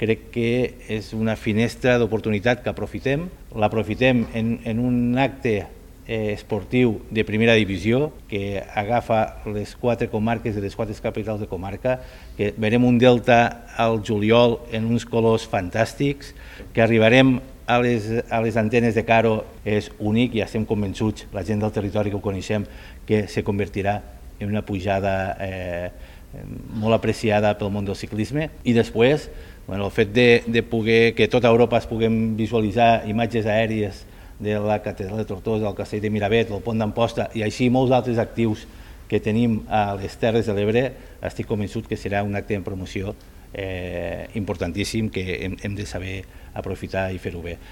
crec que és una finestra d'oportunitat que aprofitem. L'aprofitem en un acte esportiu de primera divisió que agafa les 4 comarques de les 4 capitals de comarca, que verem un Delta al juliol en uns colors fantàstics, que arribarem a les antenes de Caro, és únic i estem convençuts, la gent del territori que ho coneixem, que se convertirà en una pujada molt apreciada pel món del ciclisme. I després, el fet de poder que tota Europa es puguem visualitzar imatges aèries de la catedral de Tortosa, del castell de Miravet, del pont d'Amposta i així molts altres actius que tenim a les Terres de l'Ebre, estic convençut que serà un acte de promoció importantíssim que hem de saber aprofitar i fer-ho bé.